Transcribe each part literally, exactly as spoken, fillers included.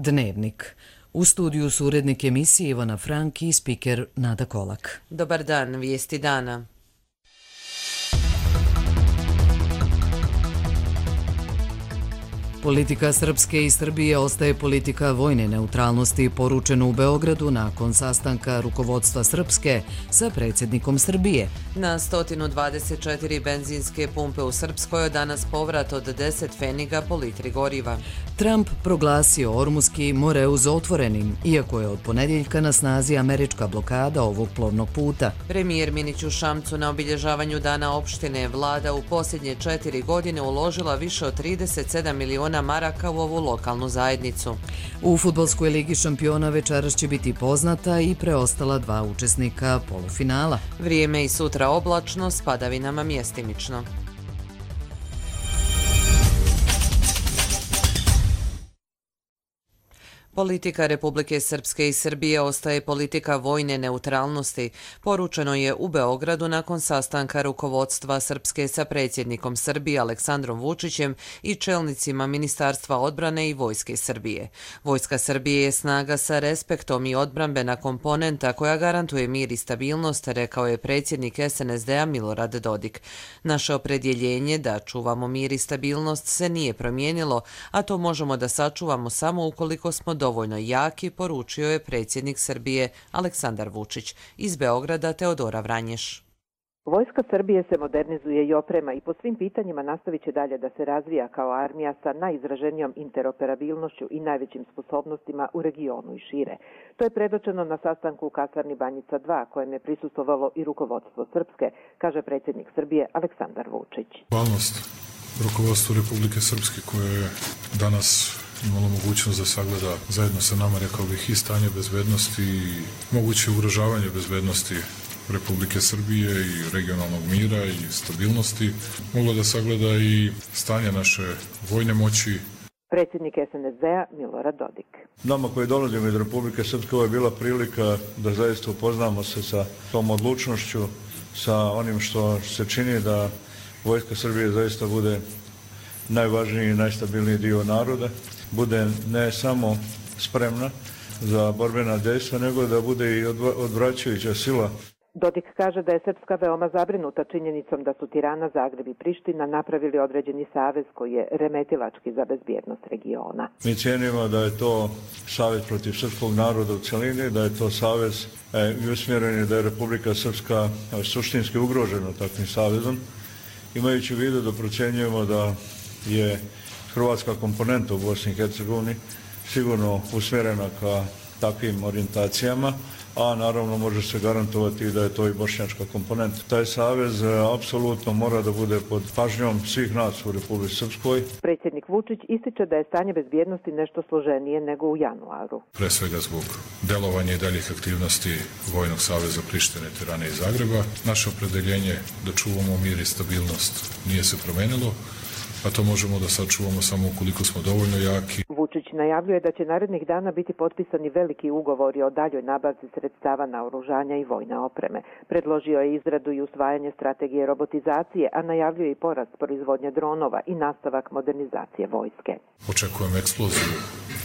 Dnevnik. U studiju su urednik emisije Ivana Frank i spiker Nada Kolak. Dobar dan, vijesti dana. Politika Srpske i Srbije ostaje politika vojne neutralnosti, poručeno u Beogradu nakon sastanka rukovodstva Srpske sa predsjednikom Srbije. Na sto dvadeset četiri benzinske pumpe u Srpskoj je danas povrat od deset pfeniga po litri goriva. Trump proglasio Ormuski Moreuz otvorenim, iako je od ponedjeljka na snazi američka blokada ovog plovnog puta. Premijer Minić u Šamcu na obilježavanju Dana opštine vlada u posljednje četiri godine uložila više od trideset sedam miliona maraka u ovu lokalnu zajednicu. U fudbalskoj ligi šampiona večeras će biti poznata i preostala dva učesnika polufinala. Vrijeme i sutra oblačno, s padavinama mjestimično. Politika Republike Srpske i Srbije ostaje politika vojne neutralnosti, poručeno je u Beogradu nakon sastanka rukovodstva Srpske sa predsjednikom Srbije Aleksandrom Vučićem i čelnicima Ministarstva odbrane i Vojske Srbije. Vojska Srbije je snaga sa respektom i odbrambena komponenta koja garantuje mir i stabilnost, rekao je predsjednik es en es de-a Milorad Dodik. Naše opredjeljenje da čuvamo mir i stabilnost se nije promijenilo, a to možemo da sačuvamo samo ukoliko smo dovoljno jaki, poručio je predsjednik Srbije Aleksandar Vučić. Iz Beograda Teodora Vranješ. Vojska Srbije se modernizuje i oprema i po svim pitanjima nastavit će dalje da se razvija kao armija sa najizraženijom interoperabilnošću i najvećim sposobnostima u regionu i šire. To je predočeno na sastanku u kasarni Banjica dva, kojem je prisustvovalo i rukovodstvo Srpske, kaže predsjednik Srbije Aleksandar Vučić. Hvalnost rukovodstvu Republike Srpske koje je danas imalo mogućnost da sagleda zajedno sa nama, rekao bih, i stanje bezbednosti i moguće ugrožavanje bezbednosti Republike Srbije i regionalnog mira i stabilnosti. Moglo da sagleda i stanje naše vojne moći. Predsjednik es en es de-a Milorad Dodik. Nama koji dolazimo iz Republike Srpske, ovo je bila prilika da zaista upoznamo se sa tom odlučnošću, sa onim što se čini da Vojska Srbije zaista bude najvažniji i najstabilniji dio naroda, bude ne samo spremna za borbena dejstva, nego da bude i odvraćajuća sila. Dodik kaže da je Srpska veoma zabrinuta činjenicom da su Tirana, Zagreb i Priština napravili određeni savez koji je remetilački za bezbjednost regiona. Mi cijenimo da je to savez protiv srpskog naroda u celini, da je to savez i usmjeren je da je Republika Srpska suštinski ugrožena takvim savezom, imajući u vidu da procjenjujemo da je hrvatska komponenta u Bosni i Hercegovini sigurno usmjerena ka takvim orijentacijama, a naravno može se garantovati da je to i bošnjačka komponenta. Taj savez apsolutno mora da bude pod pažnjom svih nas u Republici Srpskoj. Predsjednik Vučić ističe da je stanje bezbjednosti nešto složenije nego u januaru. Pre svega zbog delovanja i daljih aktivnosti Vojnog saveza Prištine, Tirane i Zagreba. Naše opredeljenje da čuvamo mir i stabilnost nije se promenilo, a to možemo da sačuvamo samo ukoliko smo dovoljno jaki. Vučić najavljuje da će narednih dana biti potpisani veliki ugovori o daljoj nabavci sredstava naoružanja i vojne opreme. Predložio je izradu i usvajanje strategije robotizacije, a najavljuje i porast proizvodnje dronova i nastavak modernizacije vojske. Očekujem eksploziju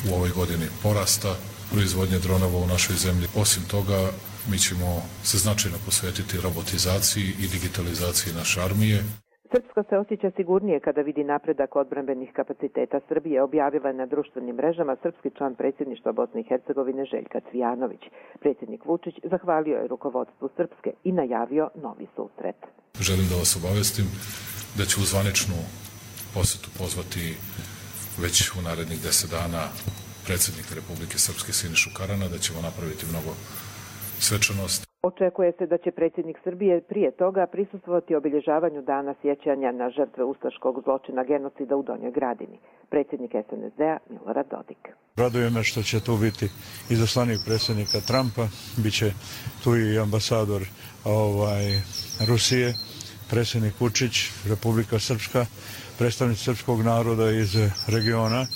u ovoj godini porasta proizvodnje dronova u našoj zemlji. Osim toga, mi ćemo se značajno posvetiti robotizaciji i digitalizaciji naše armije. Srpska se osjeća sigurnije kada vidi napredak odbrambenih kapaciteta Srbije, objavila je na društvenim mrežama srpski član predsjedništva Bosne i Hercegovine Željka Cvijanović. Predsjednik Vučić zahvalio je rukovodstvu Srpske i najavio novi susret. Želim da vas obavestim da ću u zvaničnu posetu pozvati već u narednih deset dana predsjednika Republike Srpske Sinišu Karana, da ćemo napraviti mnogo svečanosti. Očekuje se da će predsjednik Srbije prije toga prisustvovati obilježavanju dana sjećanja na žrtve ustaškog zločina genocida u Donjoj Gradini. Predsjednik es en es de-a Milorad Dodik. Raduje me što će tu biti izaslanik predsjednika Trumpa, bit će tu i ambasador ovaj, Rusije, predsjednik Vučić, Republika Srpska, predstavnici srpskog naroda iz regiona,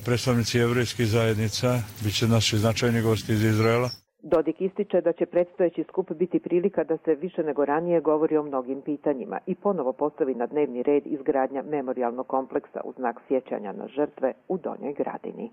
predstavnici jevrejskih zajednica, bit će naši značajni gosti iz Izraela. Dodik ističe da će predstojeći skup biti prilika da se više nego ranije govori o mnogim pitanjima i ponovo postavi na dnevni red izgradnja memorijalnog kompleksa u znak sjećanja na žrtve u Donjoj Gradini.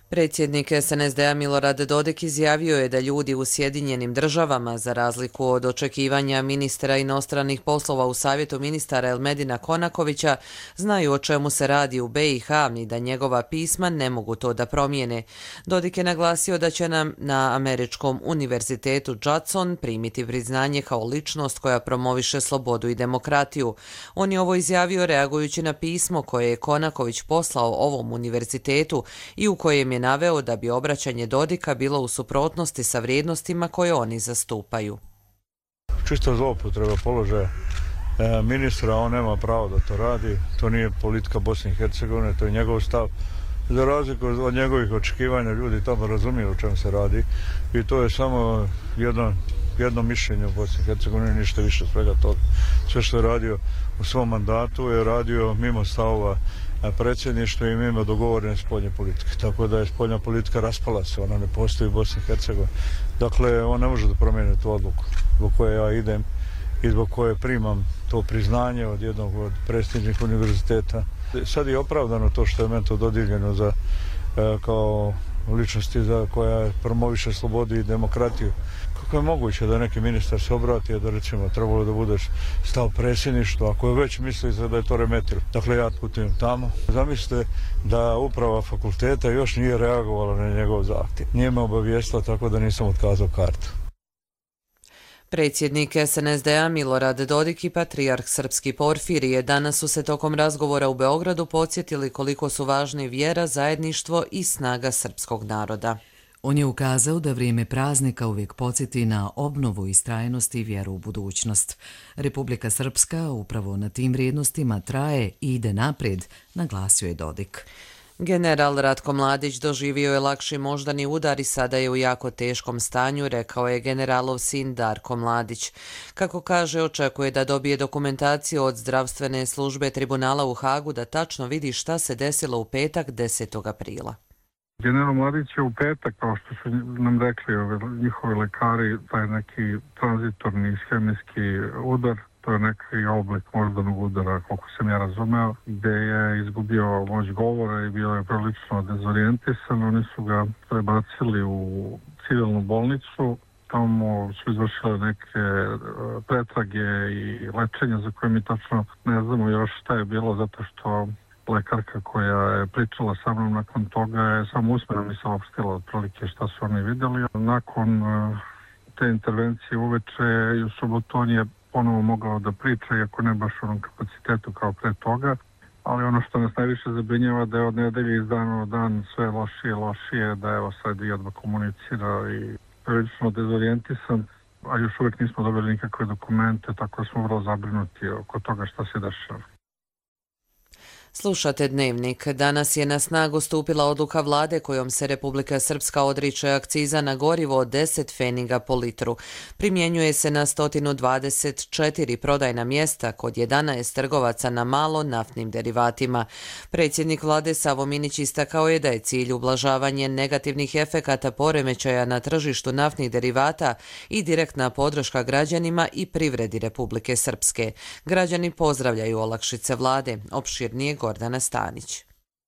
Predsjednik S N S D-a Milorad Dodik izjavio je da ljudi u Sjedinjenim državama, za razliku od očekivanja ministra inostranih poslova u Savjetu ministara Elmedina Konakovića, znaju o čemu se radi u B i H i da njegova pisma ne mogu to da promijene. Dodik je naglasio da će nam na Američkom univerzitetu Judson primiti priznanje kao ličnost koja promoviše slobodu i demokratiju. On je ovo izjavio reagujući na pismo koje je Konaković poslao ovom univerzitetu i u kojem je naveo da bi obraćanje Dodika bilo u suprotnosti sa vrijednostima koje oni zastupaju. Čista zloupotreba položaja ministra, on nema pravo da to radi, to nije politika Bosne i Hercegovine, to je njegov stav. Za razliku od njegovih očekivanja ljudi tamo razumiju o čemu se radi i to je samo jedno, jedno mišljenje u Bosni i Hercegovini, ništa više svega toga. Sve što je radio u svom mandatu je radio mimo stavova predsjedništva i mimo dogovorene spoljne politike. Tako da je spoljna politika raspala se, ona ne postoji u Bosni i Hercegovini. Dakle, on ne može da promijeni tu odluku zbog koje ja idem i zbog koje primam to priznanje od jednog od prestižnih univerziteta. Sad je opravdano to što je meni to dodijeljeno za, kao ličnosti za koja promoviše slobodu i demokratiju. Kako je moguće da neki ministar se obrati, da recimo trebalo da budeš stav predsjedništva, ako je već misli da je to remetilo. Dakle, ja putujem tamo. Zamislite da uprava fakulteta još nije reagovala na njegov zahtjev. Nije me obavijestila, tako da nisam otkazao kartu. Predsjednik S N S D-a Milorad Dodik i patrijarh srpski Porfirije danas su se tokom razgovora u Beogradu podsjetili koliko su važni vjera, zajedništvo i snaga srpskog naroda. On je ukazao da vrijeme praznika uvijek podsjeti na obnovu istrajnost i vjeru u budućnost. Republika Srpska upravo na tim vrijednostima traje i ide naprijed, naglasio je Dodik. General Ratko Mladić doživio je lakši moždani udar i sada je u jako teškom stanju, rekao je generalov sin Darko Mladić. Kako kaže, očekuje da dobije dokumentaciju od zdravstvene službe tribunala u Hagu da tačno vidi šta se desilo u petak desetog aprila. General Mladić je u petak, kao što su nam rekli njihovi lekari, taj neki tranzitorni ishemijski udar, to je neki oblik moždanog udara, koliko sam ja razumeo, gde je izgubio moć govora i bio je prilično dezorijentisan. Oni su ga prebacili u civilnu bolnicu, tamo su izvršile neke pretrage i lečenja za koje mi tačno ne znamo još šta je bilo, zato što lekarka koja je pričala sa mnom nakon toga je samo usmeno mi saopštila otprilike šta su oni vidjeli. Nakon te intervencije uveče i u subotu on je ponovo mogao da priča, iako ne baš u onom kapacitetu kao pre toga, ali ono što nas najviše zabrinjava da je od nedelje iz dana u dan sve lošije i lošije, da evo sad i odmah komunicira i prilično dezorijentisan, a još uvijek nismo dobili nikakve dokumente, tako da smo vrlo zabrinuti oko toga šta se dešava. Slušate Dnevnik. Danas je na snagu stupila odluka vlade kojom se Republika Srpska odriče akciza na gorivo od deset pfeniga po litru. Primjenjuje se na sto dvadeset četiri prodajna mjesta kod jedanaest trgovaca na malo naftnim derivatima. Predsjednik vlade Savo Minić istakao je da je cilj ublažavanje negativnih efekata poremećaja na tržištu naftnih derivata i direktna podrška građanima i privredi Republike Srpske. Građani pozdravljaju olakšice vlade. Opširnije Gordana Stanić.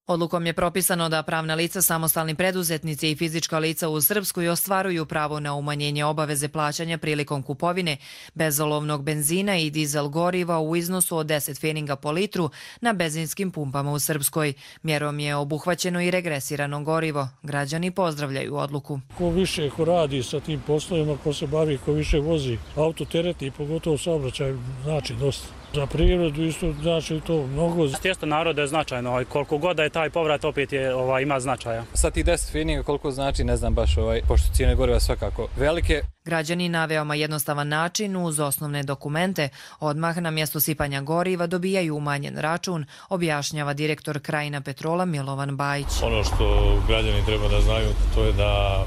Odlukom je propisano da pravna lica, samostalni preduzetnici i fizička lica u Srpskoj ostvaruju pravo na umanjenje obaveze plaćanja prilikom kupovine bezolovnog benzina i dizel goriva u iznosu od deset pfeniga po litru na benzinskim pumpama u Srpskoj. Mjerom je obuhvaćeno i regresirano gorivo. Građani pozdravljaju odluku. Ko više ko radi sa tim poslovima, ko se bavi, ko više vozi auto teretni, pogotovo saobraćaj, znači dosta. Za prirodu isto znači to mnogo. Tijesto naroda je značajno, koliko god da je taj povrat opet je, ovaj, ima značaja. Sa tih deset pfeniga koliko znači ne znam baš, ovaj, pošto cijene goriva svakako velike. Građani na veoma jednostavan način uz osnovne dokumente odmah na mjesto sipanja goriva dobijaju umanjen račun, objašnjava direktor Krajina Petrola Milovan Bajić. Ono što građani treba da znaju to je da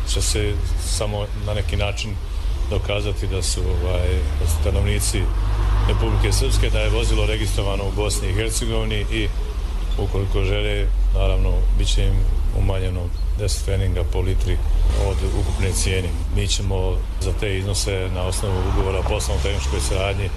će se samo na neki način dokazati da su ovaj, stanovnici Republike Srpske, da je vozilo registrovano u Bosni i Hercegovini i ukoliko žele, naravno, bit će im umanjeno deset pfeniga po litri od ukupne cijene. Mi ćemo za te iznose na osnovu ugovora o poslovno-tehničkoj saradnji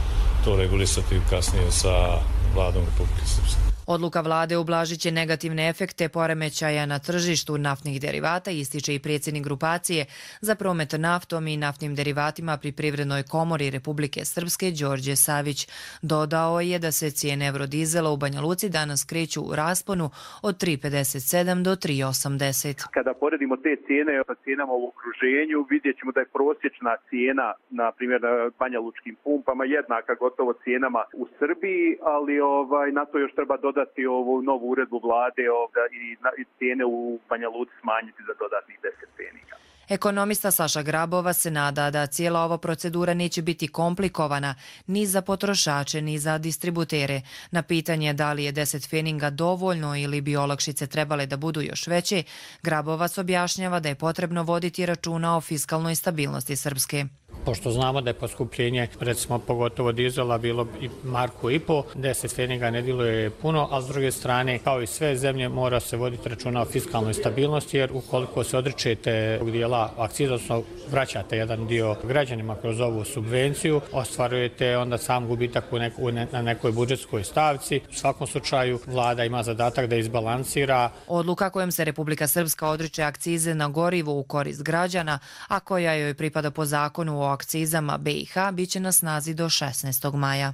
to regulisati kasnije sa vladom Republike Srpske. Odluka vlade ublažit će negativne efekte poremećaja na tržištu naftnih derivata, ističe i predsjednik grupacije za promet naftom i naftnim derivatima pri Privrednoj komori Republike Srpske Đorđe Savić. Dodao je da se cijene eurodizela u Banja Luci danas kreću u rasponu od tri pedeset sedam do tri osamdeset. Kada poredimo te cijene sa cijenama u okruženju, vidjet ćemo da je prosječna cijena, na primjer na banja lučkim pumpama, jednaka gotovo cijenama u Srbiji, ali ovaj, na to još treba dodati ovu novu uredbu vlade ovdje, i, i cijene u Banja Luci smanjiti za dodatnih deset peninga. Ekonomista Saša Grabova se nada da cijela ova procedura neće biti komplikovana ni za potrošače ni za distributere. Na pitanje da li je deset feninga dovoljno ili bi olakšice trebale da budu još veće, Grabovac objašnjava da je potrebno voditi računa o fiskalnoj stabilnosti Srpske. Pošto znamo da je poskupljenje, recimo pogotovo dizela, bilo i marku i po, deset feninga ne djeluje puno, a s druge strane, kao i sve zemlje, mora se voditi računa o fiskalnoj stabilnosti, jer ukoliko se odričete tog dijela akciza, odnosno vraćate jedan dio građanima kroz ovu subvenciju, ostvarujete onda sam gubitak u neku, na nekoj budžetskoj stavci. U svakom slučaju, vlada ima zadatak da izbalansira. Odluka kojom se Republika Srpska odriče akcize na gorivo u korist građana, a koja joj pripada po zakonu o akcizama B i H, biće na snazi do šesnaestog maja.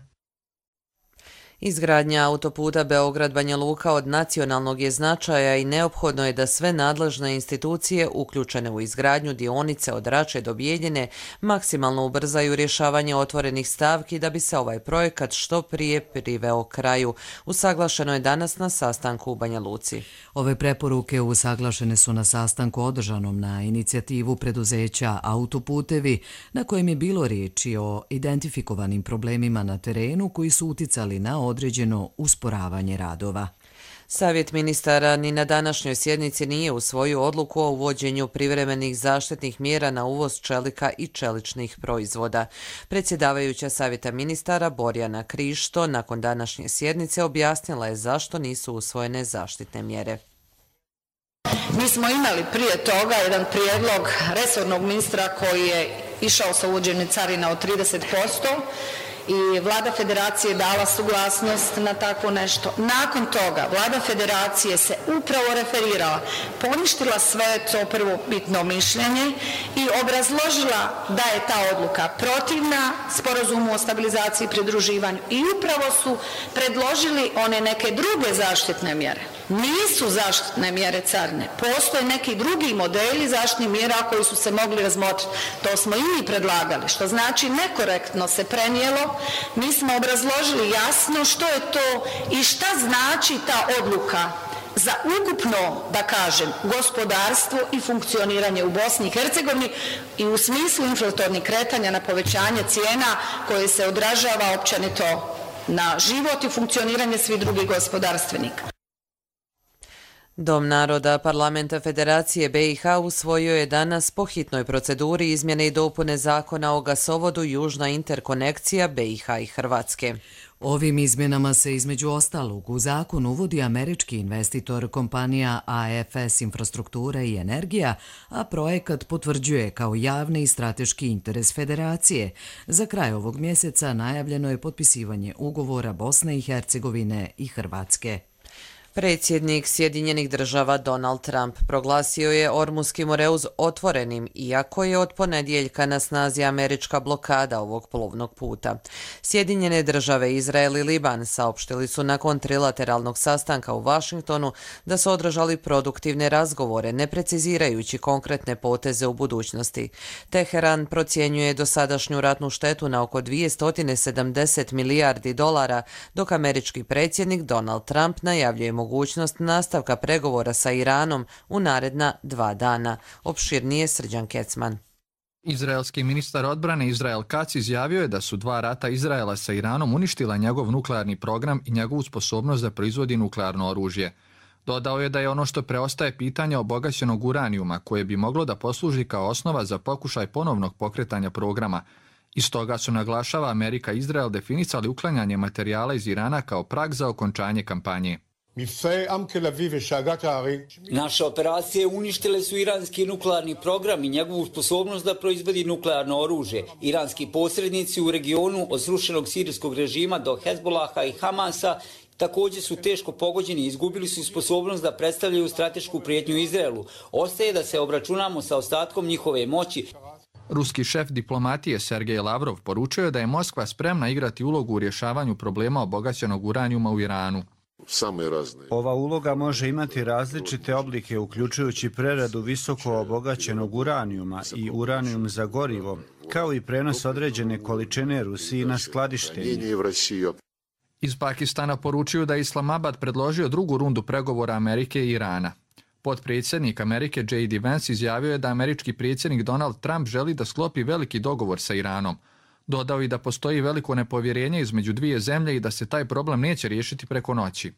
Izgradnja autoputa Beograd-Banja Luka od nacionalnog je značaja i neophodno je da sve nadležne institucije uključene u izgradnju dionice od Rače do Bijeljine maksimalno ubrzaju rješavanje otvorenih stavki da bi se ovaj projekat što prije priveo kraju. Usaglašeno je danas na sastanku u Banja Luci. Ove preporuke usaglašene su na sastanku održanom na inicijativu preduzeća Autoputevi, na kojem je bilo riječi o identifikovanim problemima na terenu koji su uticali na određeno usporavanje radova. Savjet ministara ni na današnjoj sjednici nije usvojio odluku o uvođenju privremenih zaštitnih mjera na uvoz čelika i čeličnih proizvoda. Predsjedavajuća Savjeta ministara Borjana Krišto nakon današnje sjednice objasnila je zašto nisu usvojene zaštitne mjere. Mi smo imali prije toga jedan prijedlog resornog ministra koji je išao sa uvođenjem carina od trideset posto, i vlada federacije dala suglasnost na tako nešto. Nakon toga vlada federacije se upravo referirala, poništila sve to prvobitno mišljenje i obrazložila da je ta odluka protivna sporazumu o stabilizaciji i pridruživanju i upravo su predložili one neke druge zaštitne mjere. Nisu zaštitne mjere carine, postoje neki drugi modeli zaštitnih mjera koji su se mogli razmotriti. To smo i mi predlagali, što znači nekorektno se prenijelo. Mi smo obrazložili jasno što je to i šta znači ta odluka za ukupno, da kažem, gospodarstvo i funkcioniranje u Bosni i Hercegovini i u smislu inflatornih kretanja na povećanje cijena koje se odražava općenito na život i funkcioniranje svih drugih gospodarstvenika. Dom naroda Parlamenta Federacije B i H usvojio je danas po hitnoj proceduri izmjene i dopune zakona o gasovodu Južna interkonekcija B i H i Hrvatske. Ovim izmjenama se između ostalog u zakon uvodi američki investitor kompanija A F S Infrastruktura i Energija, a projekat potvrđuje kao javni i strateški interes federacije. Za kraj ovog mjeseca najavljeno je potpisivanje ugovora Bosne i Hercegovine i Hrvatske. Predsjednik Sjedinjenih država Donald Trump proglasio je Ormuski Moreuz otvorenim, iako je od ponedjeljka na snazi američka blokada ovog plovnog puta. Sjedinjene države, Izrael i Liban saopštili su nakon trilateralnog sastanka u Vašingtonu da su održali produktivne razgovore, ne precizirajući konkretne poteze u budućnosti. Teheran procjenjuje dosadašnju ratnu štetu na oko dvjesto sedamdeset milijardi dolara, dok američki predsjednik Donald Trump najavljuje mogućnost nastavka pregovora sa Iranom u naredna dva dana. Opširnije Srđan Kecman. Izraelski ministar odbrane Izrael Katz izjavio je da su dva rata Izraela sa Iranom uništila njegov nuklearni program i njegovu sposobnost da proizvodi nuklearno oružje. Dodao je da je ono što preostaje pitanje obogaćenog uranijuma koje bi moglo da posluži kao osnova za pokušaj ponovnog pokretanja programa. Iz toga su, naglašava, Amerika i Izrael definisali uklanjanje materijala iz Irana kao prag za okončanje kampanje. Naše operacije uništile su iranski nuklearni program i njegovu sposobnost da proizvodi nuklearno oružje. Iranski posrednici u regionu od srušenog sirijskog režima do Hezbolaha i Hamasa također su teško pogođeni i izgubili su sposobnost da predstavljaju stratešku prijetnju Izraelu. Ostaje da se obračunamo sa ostatkom njihove moći. Ruski šef diplomatije Sergej Lavrov poručio je da je Moskva spremna igrati ulogu u rješavanju problema obogaćenog uranijuma u Iranu. Ova uloga može imati različite oblike, uključujući preradu visoko obogaćenog uranijuma i uranijum za gorivo, kao i prenos određene količine Rusiji na skladištenje. Iz Pakistana poručuju da je Islamabad predložio drugu rundu pregovora Amerike i Irana. Potpredsjednik Amerike J D Vance izjavio je da američki predsjednik Donald Trump želi da sklopi veliki dogovor sa Iranom. Dodao i da postoji veliko nepovjerenje između dvije zemlje i da se taj problem neće riješiti preko noći.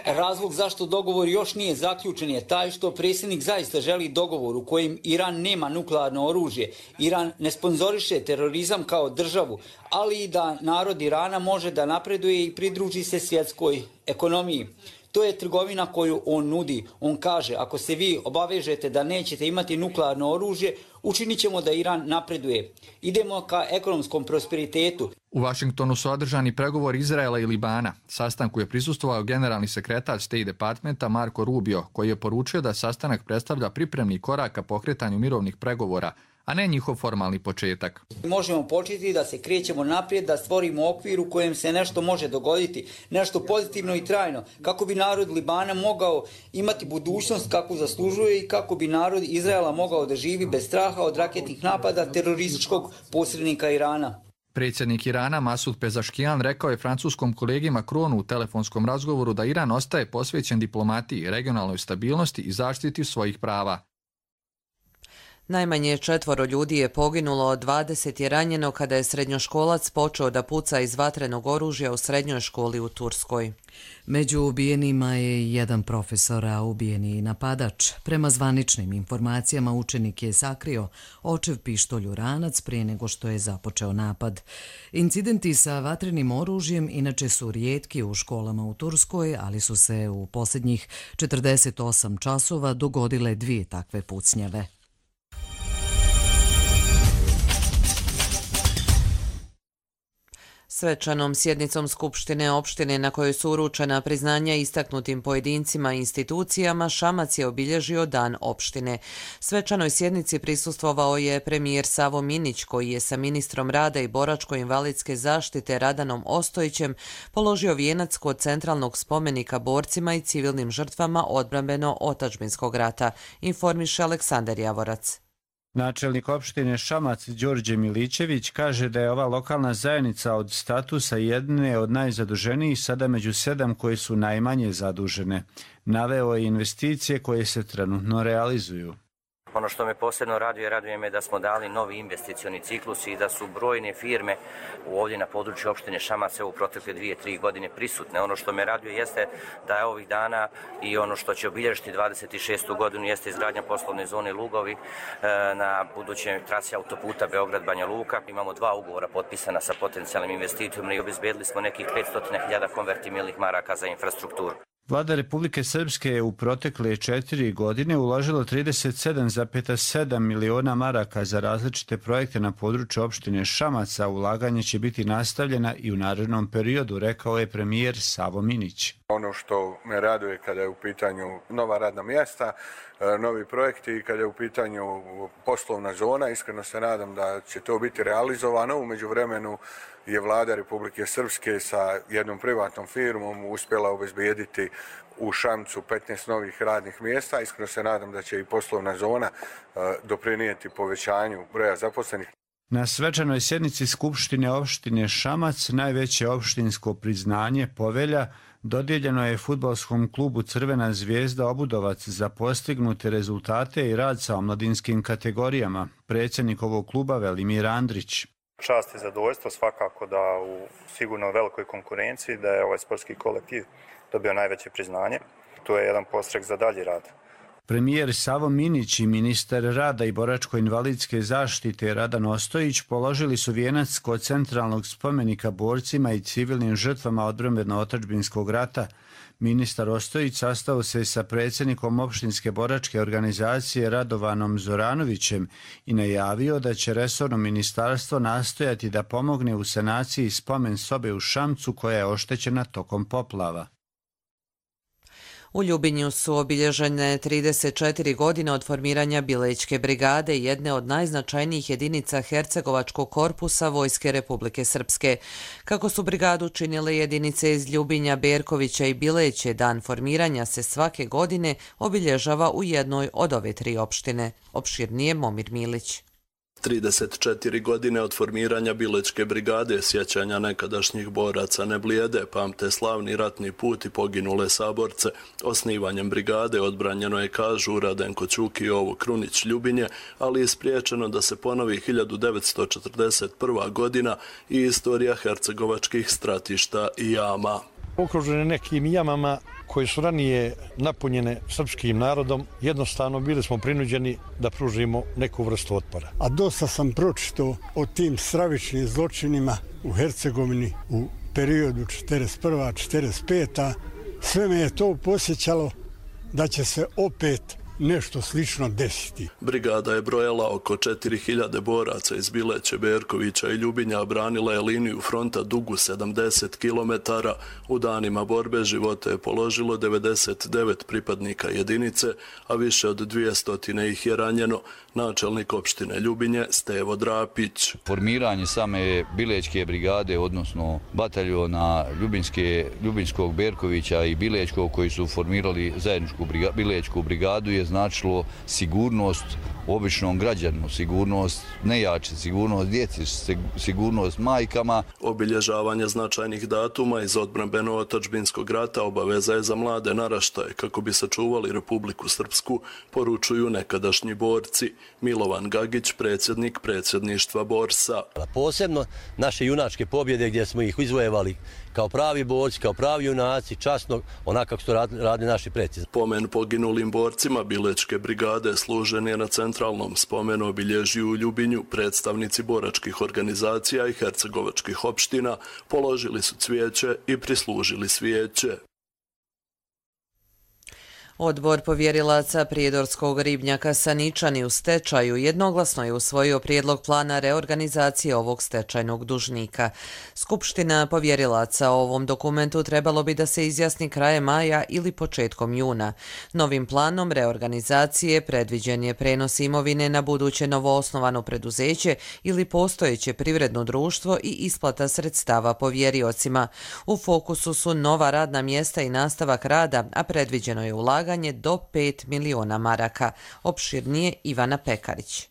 Razlog zašto dogovor još nije zaključen je taj što predsjednik zaista želi dogovor u kojem Iran nema nuklearno oružje. Iran ne sponzoriše terorizam kao državu, ali i da narod Irana može da napreduje i pridruži se svjetskoj ekonomiji. To je trgovina koju on nudi. On kaže, ako se vi obavežete da nećete imati nuklearno oružje, učinit ćemo da Iran napreduje. Idemo ka ekonomskom prosperitetu. U Vašingtonu su održani pregovori Izraela i Libana. Sastanku je prisustvovao generalni sekretar State Departmenta Marco Rubio, koji je poručio da sastanak predstavlja pripremni korak ka pokretanju mirovnih pregovora, a ne njihov formalni početak. Možemo početi da se krećemo naprijed, da stvorimo okvir u kojem se nešto može dogoditi, nešto pozitivno i trajno, kako bi narod Libana mogao imati budućnost kako zaslužuje i kako bi narod Izraela mogao da živi bez straha od raketnih napada terorističkog posrednika Irana. Predsjednik Irana Masud Pezaškijan rekao je francuskom kolegi Macronu u telefonskom razgovoru da Iran ostaje posvećen diplomatiji, regionalnoj stabilnosti i zaštiti svojih prava. Najmanje četvoro ljudi je poginulo, dvadeset je ranjeno kada je srednjoškolac počeo da puca iz vatrenog oružja u srednjoj školi u Turskoj. Među ubijenima je jedan profesor, a ubijeni napadač. Prema zvaničnim informacijama učenik je sakrio očev pištolj u ranac prije nego što je započeo napad. Incidenti sa vatrenim oružjem inače su rijetki u školama u Turskoj, ali su se u posljednjih četrdeset osam časova dogodile dvije takve pucnjave. Svečanom sjednicom Skupštine opštine na kojoj su uručena priznanja istaknutim pojedincima i institucijama, Šamac je obilježio Dan opštine. Svečanoj sjednici prisustvovao je premijer Savo Minić, koji je sa ministrom rada i boračko-invalidske zaštite Radanom Ostojićem položio vijenac kod centralnog spomenika borcima i civilnim žrtvama odbrambeno-otadžbinskog rata, informiše Aleksandar Javorac. Načelnik opštine Šamac Đorđe Milićević kaže da je ova lokalna zajednica od statusa jedne od najzaduženijih sada među sedam koje su najmanje zadužene. Naveo je investicije koje se trenutno realizuju. Ono što me posebno raduje, raduje me da smo dali novi investicioni ciklus i da su brojne firme ovdje na području opštine Šamac u protekle dvije, tri godine prisutne. Ono što me raduje jeste da je ovih dana i ono što će obilježiti dvadeset šestu godinu jeste izgradnja poslovne zone Lugovi na budućoj trasi autoputa Beograd-Banja Luka. Imamo dva ugovora potpisana sa potencijalnim investitorom i obezbedili smo nekih petsto hiljada konvertibilnih maraka za infrastrukturu. Vlada Republike Srpske je u protekle četiri godine uložila trideset sedam zarez sedam miliona maraka za različite projekte na području opštine Šamac, a ulaganje će biti nastavljena i u narednom periodu, rekao je premijer Savo Minić. Ono što me raduje kada je u pitanju nova radna mjesta, novi projekti i kada je u pitanju poslovna zona, iskreno se nadam da će to biti realizovano. U međuvremenu je vlada Republike Srpske sa jednom privatnom firmom uspjela obezbijediti u Šamcu petnaest novih radnih mjesta. Iskreno se nadam da će i poslovna zona doprinijeti povećanju broja zaposlenih. Na svečanoj sjednici Skupštine opštine Šamac najveće opštinsko priznanje Povelja dodijeljeno je fudbalskom klubu Crvena zvijezda Obudovac za postignute rezultate i rad sa omladinskim kategorijama. Predsjednik ovog kluba Velimir Andrić. Čast i zadovoljstvo svakako da u sigurno velikoj konkurenciji da je ovaj sportski kolektiv dobio najveće priznanje. To je jedan podstrek za dalji rad. Premijer Savo Minić i ministar rada i boračko-invalidske zaštite Radan Ostojić položili su vijenac kod centralnog spomenika borcima i civilnim žrtvama odbrambeno-otadžbinskog rata. Ministar Ostojić sastao se sa predsjednikom opštinske boračke organizacije Radovanom Zoranovićem i najavio da će resorno ministarstvo nastojati da pomogne u sanaciji spomen sobe u Šamcu koja je oštećena tokom poplava. U Ljubinju su obilježene trideset četiri godine od formiranja Bilećke brigade, jedne od najznačajnijih jedinica Hercegovačkog korpusa Vojske Republike Srpske. Kako su brigadu činile jedinice iz Ljubinja, Berkovića i Bileće, dan formiranja se svake godine obilježava u jednoj od ove tri opštine. Opširnije Momir Milić. trideset četiri godine od formiranja Bilećke brigade, sjećanja nekadašnjih boraca ne blijede, pamte slavni ratni put i poginule saborce. Osnivanjem brigade odbranjeno je, kažu, Radenko Ćuk i Jovo Krunić Ljubinje, ali je spriječeno da se ponovi hiljadu devetsto četrdeset prva godina i istorija hercegovačkih stratišta i jama. Okružene nekim jamama koje su ranije napunjene srpskim narodom, jednostavno bili smo prinuđeni da pružimo neku vrstu otpora. A dosta sam pročitao o tim stravičnim zločinima u Hercegovini u periodu četrdeset prva četrdeset peta Sve me je to posjećalo da će se opet nešto slično desiti. Brigada je brojala oko četiri hiljade boraca iz Bileće, Berkovića i Ljubinja, branila je liniju fronta dugu sedamdeset kilometara. U danima borbe živote je položilo devedeset devet pripadnika jedinice, a više od dvjesto ih je ranjeno. Načelnik opštine Ljubinje Stevo Drapić. Formiranje same Bilećke brigade, odnosno bataljona Ljubinske, Ljubinskog, Berkovića i Bilećkog, koji su formirali zajedničku briga, Bilećku brigadu, je značilo sigurnost običnom građanu, sigurnost nejače, sigurnost djeci, sigurnost majkama. Obilježavanje značajnih datuma iz odbrambeno-otadžbinskog rata obaveza je za mlade naraštaje kako bi sačuvali Republiku Srpsku, poručuju nekadašnji borci. Milovan Gagić, predsjednik predsjedništva Borsa. Posebno naše junačke pobjede gdje smo ih izvojevali kao pravi borci, kao pravi junaci, časno, onako kako su radili naši preci. Pomen poginulim borcima Bilećke brigade služen je na centralnom spomenu obilježju u Ljubinju. Predstavnici boračkih organizacija i hercegovačkih opština položili su cvijeće i prislužili svijeće. Odbor povjerilaca prijedorskog ribnjaka Saničani u stečaju jednoglasno je usvojio prijedlog plana reorganizacije ovog stečajnog dužnika. Skupština povjerilaca o ovom dokumentu trebalo bi da se izjasni krajem maja ili početkom juna. Novim planom reorganizacije predviđen je prenos imovine na buduće novoosnovano preduzeće ili postojeće privredno društvo i isplata sredstava povjeriocima. U fokusu su nova radna mjesta i nastavak rada, a predviđeno je ulaganje do pet miliona maraka. Opširnije Ivana Pekarić.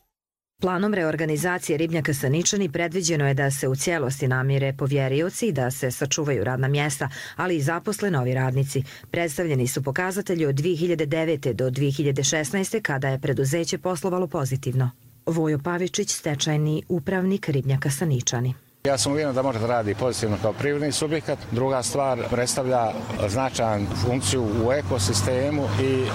Planom reorganizacije ribnjaka Saničani predviđeno je da se u cijelosti namire povjerioci, da se sačuvaju radna mjesta, ali i zaposle novi radnici. Predstavljeni su pokazatelji od dvije hiljade devete do dvije hiljade šesnaeste kada je preduzeće poslovalo pozitivno. Vojo Pavičić, stečajni upravnik ribnjaka Saničani. Ja sam uvjeren da može da radi pozitivno kao privredni subjekat. Druga stvar, predstavlja značajnu funkciju u ekosistemu i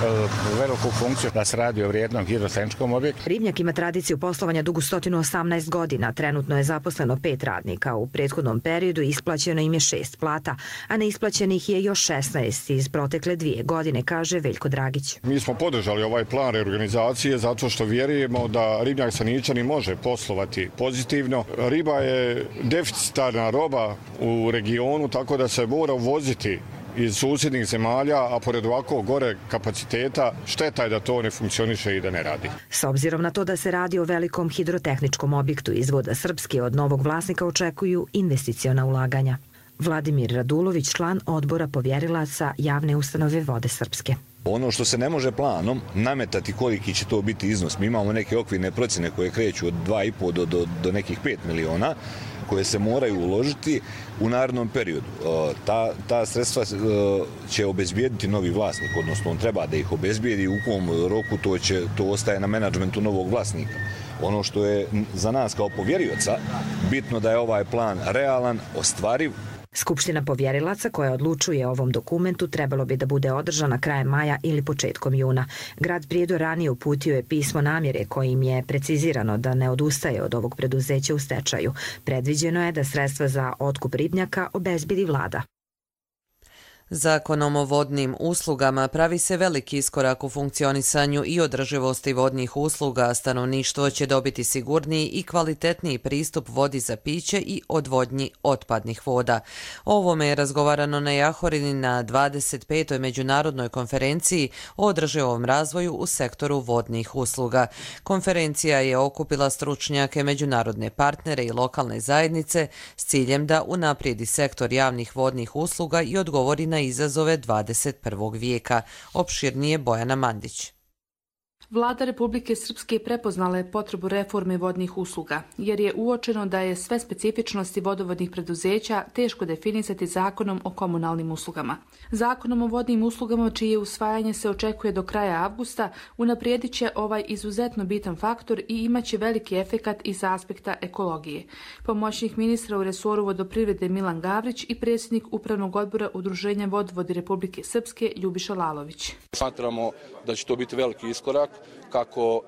veliku funkciju da se radi o vrijednom hidrotehničkom objektu. Ribnjak ima tradiciju poslovanja dugu sto osamnaest godina. Trenutno je zaposleno pet radnika. U prethodnom periodu isplaćeno im je šest plata, a neisplaćenih je još šesnaest iz protekle dvije godine, kaže Veljko Dragić. Mi smo podržali ovaj plan reorganizacije zato što vjerujemo da ribnjak Saničani može poslovati pozitivno. Riba je deficitarna roba u regionu, tako da se mora uvoziti iz susjednih zemalja, a pored ovako gore kapaciteta, šteta je da to ne funkcioniše i da ne radi. S obzirom na to da se radi o velikom hidrotehničkom objektu iz voda Srpske, od novog vlasnika očekuju investiciona ulaganja. Vladimir Radulović, član odbora povjerilaca javne ustanove Vode Srpske. Ono što se ne može planom nametati koliki će to biti iznos. Mi imamo neke okvirne procjene koje kreću od dva i po do, do, do nekih pet miliona koje se moraju uložiti u narednom periodu. Ta, ta sredstva će obezbijediti novi vlasnik, odnosno on treba da ih obezbijedi, u kom roku to, će, to ostaje na menadžmentu novog vlasnika. Ono što je za nas kao povjerioca bitno da je ovaj plan realan, ostvariv. Skupština povjerilaca koja odlučuje o ovom dokumentu trebalo bi da bude održana krajem maja ili početkom juna. Grad Prijedor ranije uputio je pismo namjere kojim je precizirano da ne odustaje od ovog preduzeća u stečaju. Predviđeno je da sredstva za otkup ribnjaka obezbedi vlada. Zakonom o vodnim uslugama pravi se veliki iskorak u funkcionisanju i održivosti vodnih usluga, a stanovništvo će dobiti sigurniji i kvalitetniji pristup vodi za piće i odvodnji otpadnih voda. O ovome je razgovarano na Jahorini na dvadeset petoj međunarodnoj konferenciji o održivom razvoju u sektoru vodnih usluga. Konferencija je okupila stručnjake, međunarodne partnere i lokalne zajednice s ciljem da unaprijedi sektor javnih vodnih usluga i odgovori na izazove dvadeset prvog vijeka. Opširnije Bojana Mandić. Vlada Republike Srpske prepoznala je potrebu reforme vodnih usluga, jer je uočeno da je sve specifičnosti vodovodnih preduzeća teško definisati zakonom o komunalnim uslugama. Zakonom o vodnim uslugama, čije usvajanje se očekuje do kraja avgusta, unaprijedit će ovaj izuzetno bitan faktor i imaće veliki efekat iz aspekta ekologije. Pomoćnik ministra u resoru vodoprivrede Milan Gavrić i predsjednik Upravnog odbora Udruženja vodovodi Republike Srpske Ljubiša Lalović. Smatramo da će to biti veliki iskorak kako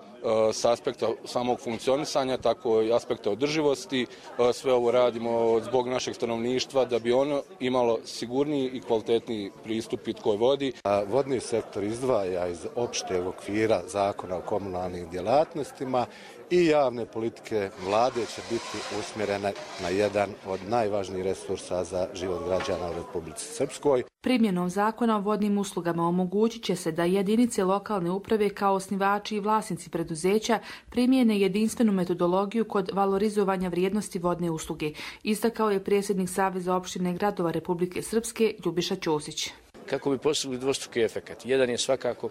s aspekta samog funkcionisanja, tako i aspekta održivosti. Sve ovo radimo zbog našeg stanovništva da bi ono imalo sigurniji i kvalitetniji pristup pitkoj vodi. Vodni sektor izdvaja iz opšteg okvira zakona o komunalnim djelatnostima i javne politike vlade će biti usmjerene na jedan od najvažnijih resursa za život građana u Republici Srpskoj. Primjenom zakona o vodnim uslugama omogućit će se da jedinice lokalne uprave kao osnivači i vlasnici preduzeća primijene jedinstvenu metodologiju kod valorizovanja vrijednosti vodne usluge, istakao je predsjednik Saveza opštine gradova Republike Srpske Ljubiša Ćosić. Kako bi postigli dvostruki efekat. Jedan je svakako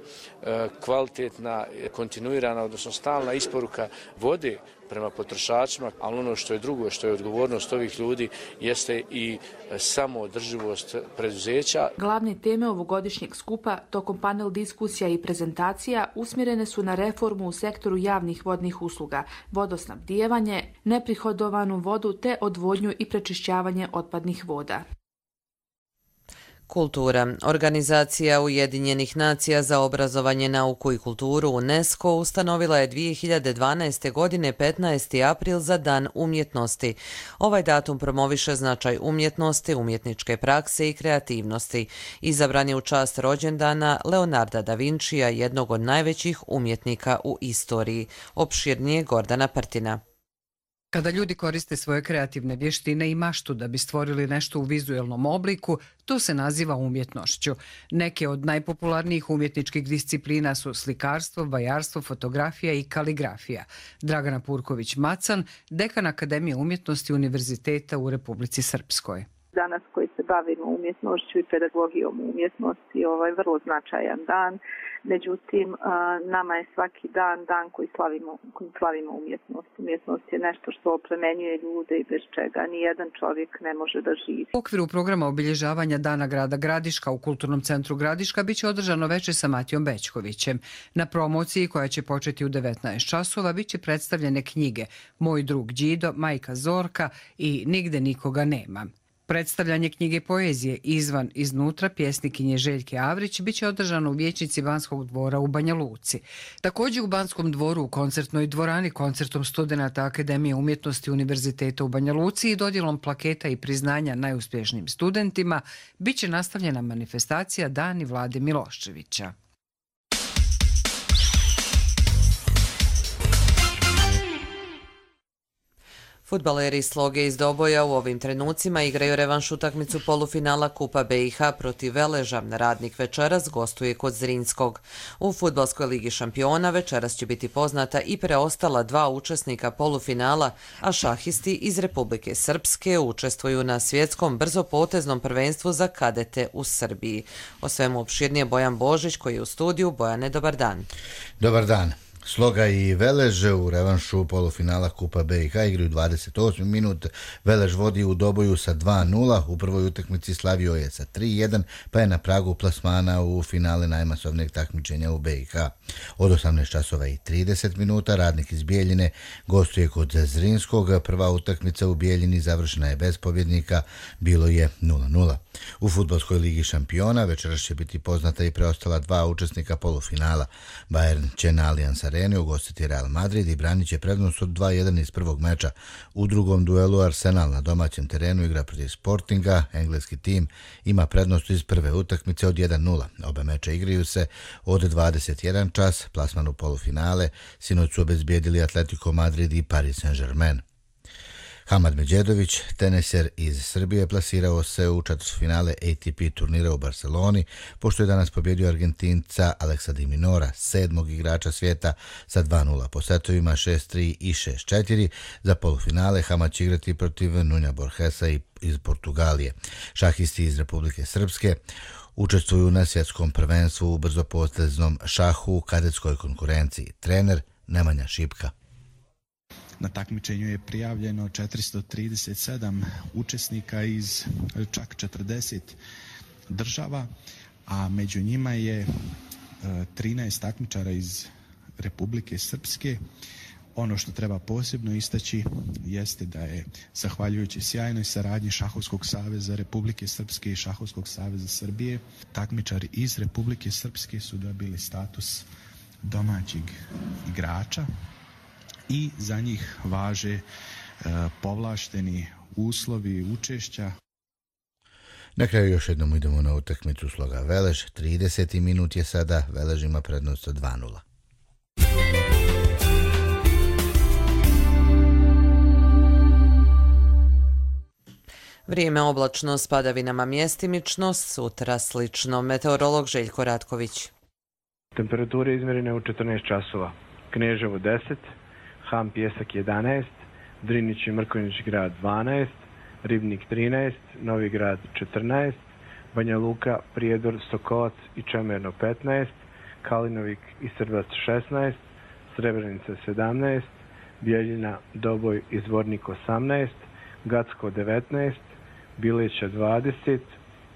kvalitetna, kontinuirana, odnosno stalna isporuka vode prema potrošačima, ali ono što je drugo, što je odgovornost ovih ljudi, jeste i samoodrživost preduzeća. Glavne teme ovogodišnjeg skupa tokom panel diskusija i prezentacija usmjerene su na reformu u sektoru javnih vodnih usluga, vodosnabdijevanje, neprihodovanu vodu te odvodnju i prečišćavanje otpadnih voda. Kultura. Organizacija Ujedinjenih nacija za obrazovanje, nauku i kulturu UNESCO ustanovila je dvije hiljade dvanaeste. godine petnaesti april za Dan umjetnosti. Ovaj datum promoviše značaj umjetnosti, umjetničke prakse i kreativnosti. Izabran je u čast rođendana Leonarda da Vincija, jednog od najvećih umjetnika u istoriji. Opširnije Gordana Prtina. Kada ljudi koriste svoje kreativne vještine i maštu da bi stvorili nešto u vizuelnom obliku, to se naziva umjetnošću. Neke od najpopularnijih umjetničkih disciplina su slikarstvo, vajarstvo, fotografija i kaligrafija. Dragana Purković-Macan, dekan Akademije umjetnosti Univerziteta u Republici Srpskoj. Danas koji se bavimo umjetnošću i pedagogijom umjetnosti, ovo je vrlo značajan dan. Međutim, nama je svaki dan dan koji slavimo, koji slavimo umjetnost. Umjetnost je nešto što oplemenjuje ljude i bez čega nijedan čovjek ne može da živi. U okviru programa obilježavanja Dana grada Gradiška u Kulturnom centru Gradiška biće održano veče sa Matijom Bećkovićem. Na promociji koja će početi u devetnaest časova biće predstavljene knjige Moj drug Đido, Majka Zorka i Nigde nikoga nema. Predstavljanje knjige poezije Izvan iznutra pjesnikinje Željke Avrić biće održano u vijećnici Banskog dvora u Banja Luci. Također u Banskom dvoru u koncertnoj dvorani koncertom studenata Akademije umjetnosti Univerziteta u Banja Luci i dodjelom plaketa i priznanja najuspješnijim studentima biće nastavljena manifestacija Dani Vlade Miloševića. Fudbaleri Sloge iz Doboja u ovim trenucima igraju revanš utakmicu polufinala Kupa B i H protiv Veleža. Radnik večeras gostuje kod Zrinskog. U Fudbalskoj ligi šampiona večeras će biti poznata i preostala dva učesnika polufinala, a šahisti iz Republike Srpske učestvuju na svjetskom brzopoteznom prvenstvu za kadete u Srbiji. O svemu opširnije Bojan Božić koji je u studiju. Bojane, dobar dan. Dobar dan. Sloga i Velež u revanšu polufinala Kupa B i H igraju dvadeset osmi minut. Velež vodi u Doboju sa dva nula, u prvoj utakmici slavio je sa tri jedan, pa je na pragu plasmana u finale najmasovnijeg takmičenja u B i H. Od osamnaest časova i trideset minuta Radnik iz Bijeljine gostuje kod Zrinskog. Prva utakmica u Bijeljini završena je bez pobjednika, bilo je nula nula. U fudbalskoj ligi šampiona večeras će biti poznata i preostala dva učesnika polufinala. Bayern će na Allianz Areni ugostiti Real Madrid i branit će prednost od dva jedan iz prvog meča. U drugom duelu Arsenal na domaćem terenu igra protiv Sportinga. Engleski tim ima prednost iz prve utakmice od jedan nula. Obe meča igraju se od dvadeset jedan čas. Plasman u polufinale sinoć su obezbijedili Atletico Madrid i Paris Saint-Germain. Hamad Medjedović, teniser iz Srbije, plasirao se u četvrtfinale A T P turnira u Barceloni, pošto je danas pobjedio Argentinca Alexa de Minaura, sedmog igrača svijeta, sa dva nula po setovima šest tri i šest četiri. Za polufinale Hamad će igrati protiv Nunja Borgesa iz Portugalije. Šahisti iz Republike Srpske učestvuju na svjetskom prvenstvu u brzopoteznom šahu u kadetskoj konkurenciji. Trener Nemanja Šipka. Na takmičenju je prijavljeno četiristo trideset sedam učesnika iz čak četrdeset država, a među njima je trinaest takmičara iz Republike Srpske. Ono što treba posebno istaći jeste da je, zahvaljujući sjajnoj saradnji Šahovskog saveza Republike Srpske i Šahovskog saveza Srbije, takmičari iz Republike Srpske su dobili status domaćeg igrača i za njih važe e, povlašteni uslovi učešća. Na kraju još jednom idemo na utakmicu Sloga Velež. trideseti minut je sada, Velež ima prednost od dva nula. Vrijeme oblačno s padavinama mjestimično, sutra slično. Meteorolog Željko Ratković. Temperature izmjerene u četrnaest časova. Kneževo deset, Ham Pjesak jedanaest, Drinić i Mrkonjić grad dvanaest, Ribnik trinaest, Novi grad četrnaest, Banja Luka, Prijedor, Sokolac i Čemerno petnaest, Kalinovik i Srbac šesnaest, Srebrenica sedamnaest, Bijeljina, Doboj i Zvornik osamnaest, Gacko devetnaest, Bileća dvadeset,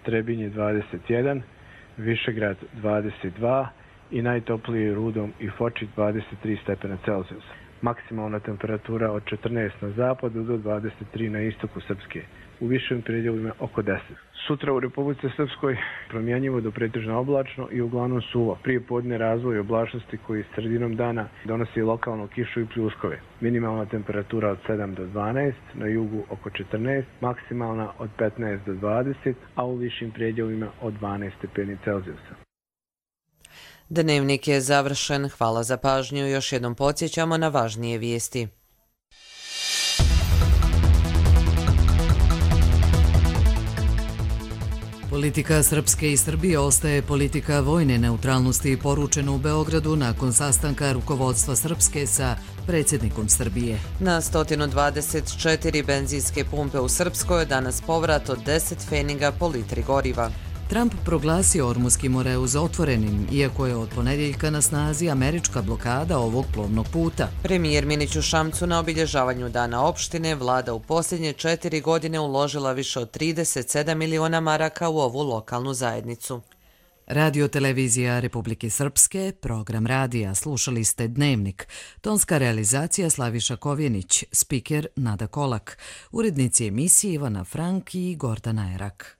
Trebinje dvadeset jedan, Višegrad dvadeset dva i najtopliji Rudom i Foči dvadeset tri stepena Celzijusa. Maksimalna temperatura od četrnaest na zapadu do dvadeset tri na istoku Srpske. U višim predjelima oko deset. Sutra u Republici Srpskoj promjenjivo do pretežno oblačno i uglavnom suvo. Prije podne razvoj oblačnosti koji sredinom dana donosi lokalnu kišu i pljuskove. Minimalna temperatura od sedam do dvanaest, na jugu oko četrnaest, maksimalna od petnaest do dvadeset, a u višim predjelima od dvanaest stepeni Celzijusa. Dnevnik je završen. Hvala za pažnju. Još jednom podsjećamo na važnije vijesti. Politika Srpske i Srbije ostaje politika vojne neutralnosti poručeno u Beogradu nakon sastanka rukovodstva Srpske sa predsjednikom Srbije. Na sto dvadeset četiri benzinske pumpe u Srpskoj danas povrat od deset pfeniga po litri goriva. Trump proglasio Ormuski Moreuz otvorenim, iako je od ponedjeljka na snazi američka blokada ovog plovnog puta. Premijer Minić u Šamcu na obilježavanju Dana opštine vlada u posljednje četiri godine uložila više od trideset sedam miliona maraka u ovu lokalnu zajednicu. Radio televizija Republike Srpske, program radija, slušali ste Dnevnik. Tonska realizacija Slaviša Kovjenić, spiker Nada Kolak, urednici emisije Ivana Frank i Gordana Erak.